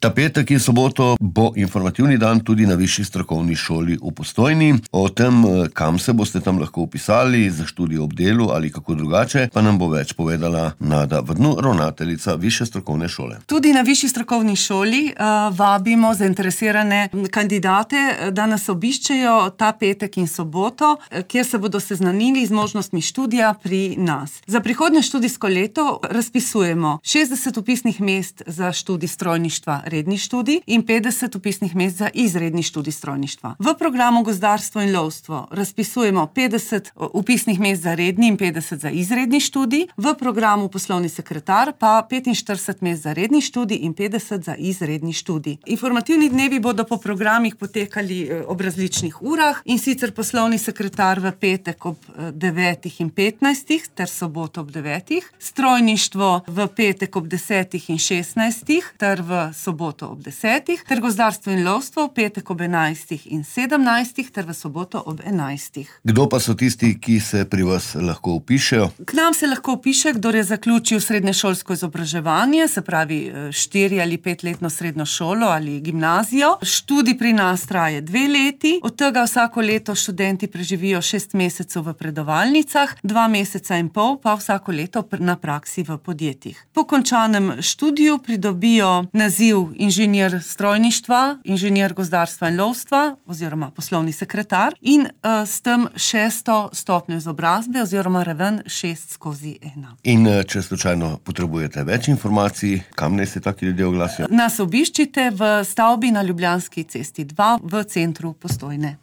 Ta petek in soboto bo informativni dan tudi na Višji strokovni šoli v Postojni. O tem, kam se boste tam lahko upisali, za študij ob delu ali kako drugače, pa nam bo več povedala Nada Vrnu, ravnateljica Višje strokovne šole. Tudi na Višji strokovni šoli vabimo zainteresirane kandidate, da nas obiščejo ta petek in soboto, kjer se bodo seznanili z možnostmi študija pri nas. Za prihodnje študijsko leto razpisujemo 60 vpisnih mest za študij strojništva, redni študij, in 50 vpisnih mest za izredni študij strojništva. V programu gozdarstvo in lovstvo razpisujemo 50 vpisnih mest za redni in 50 za izredni študij, v programu poslovni sekretar pa 45 mest za redni študij in 50 za izredni študij. Informativni dnevi bodo po programih potekali ob različnih urah, in sicer poslovni sekretar v petek ob 9:15 ter soboto ob 9, strojništvo v petek ob 10:16 ter v soboto ob 10, ter gozdarstvo in lovstvo v petek ob 11:17 ter v soboto ob 11. Kdo pa so tisti, ki se pri vas lahko vpišejo? K nam se lahko vpiše, kdor je zaključil srednješolsko izobraževanje, se pravi 4 ali 5-letno srednjo šolo ali gimnazijo. Študij pri nas traja 2 leti, od tega vsako leto študenti preživijo 6 mesecev v predavalnicah, 2 meseca in pol pa vsako leto na praksi v podjetjih. Po končanem študiju pridobijo naziv inženir strojništva, inženir gozdarstva in lovstva oziroma poslovni sekretar in s tem 6. stopnjo izobrazbe oziroma raven 6/1. In če slučajno potrebujete več informacij, kam naj se taki ljudje oglasijo? Nas obiščite v stavbi na Ljubljanski cesti 2 v centru Postojne.